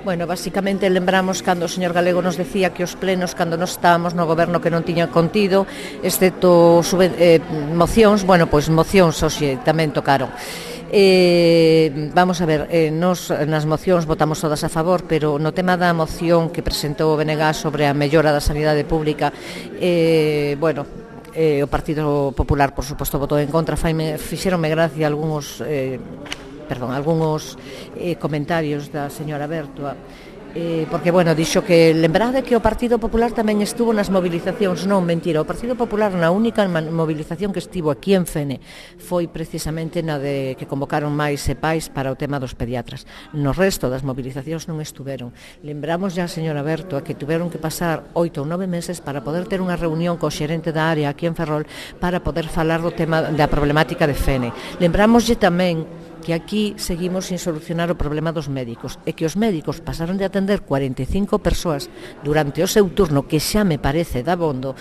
Bueno, basicamente lembramos cando o señor Galego nos decía que os plenos, cando nos estábamos no goberno que non tiña contido, excepto mocións, bueno, pois mocións hoxe tamén tocaron. Vamos a ver, nos nas mocións votamos todas a favor, pero no tema da moción que presentou o BNG sobre a mellora da sanidade pública, bueno, o Partido Popular, por suposto, votou en contra. Fixeronme gracia algúns comentarios da señora Bertua, porque, bueno, dixo que lembrade que o Partido Popular tamén estuvo nas movilizacións. Non, mentira, o Partido Popular na única movilización que estivo aquí en Fene foi precisamente na de que convocaron máis e pais para o tema dos pediatras. No resto das movilizacións non estuveron. Lembramos ya a señora Berto que tuveron que pasar 8 ou 9 meses para poder ter unha reunión co xerente da área aquí en Ferrol para poder falar do tema da problemática de Fene. Lembramoslle tamén que aquí seguimos sin solucionar o problema dos médicos e que os médicos pasaron de atender 45 persoas durante o seu turno, que xa me parece dabondo,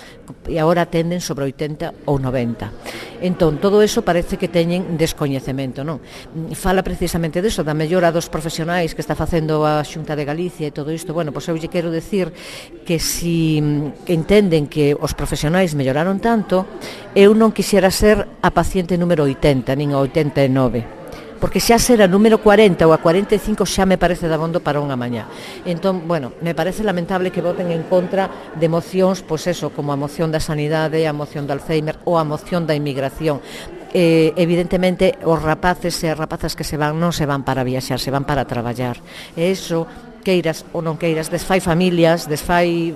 e agora atenden sobre 80 ou 90. Entón, todo eso parece que teñen descoñecemento, non? Fala precisamente deso, da mellora dos profesionais que está facendo a Xunta de Galicia e todo isto. Bueno, pois eu lle quero decir que si entenden que os profesionais melloraron tanto, eu non quixera ser a paciente número 80, nin a 89. Porque xa ser a número 40 ou a 45 xa me parece dabondo para unha mañá. Entón, bueno, me parece lamentable que voten en contra de mocións, pois eso, como a moción da sanidade, a moción do Alzheimer ou a moción da inmigración. Evidentemente, os rapaces e as rapazas que se van non se van para viaxar, se van para traballar. E iso, queiras ou non queiras, desfai familias, desfai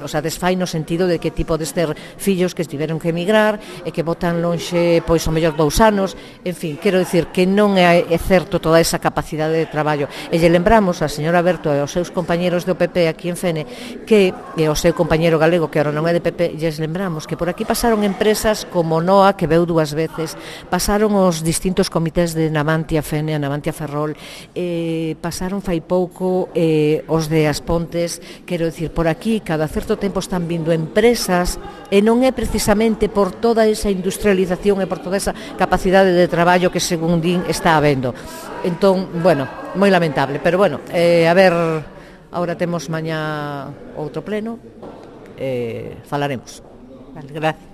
no sentido de que ti podes ter fillos que tiveron que emigrar e que botan lonxe, pois, o mellor 2 anos, en fin, quero dicir que non é certo toda esa capacidade de traballo. E lle lembramos a señora Berto e aos seus compañeros do PP aquí en Fene, que, e ao seu compañero galego, que agora non é de PP, lles lembramos que por aquí pasaron empresas como NOA, que veu 2 veces, pasaron os distintos comités de Navantia Fene, a Navantia Ferrol, pasaron fai pouco os de As Pontes. Quero dicir, por aquí cada certo tempo están vindo empresas e non é precisamente por toda esa industrialización e por toda esa capacidade de traballo que, según din, está habendo. Entón, bueno, moi lamentable, pero bueno, a ver, agora temos mañá outro pleno, falaremos. Vale, gracias.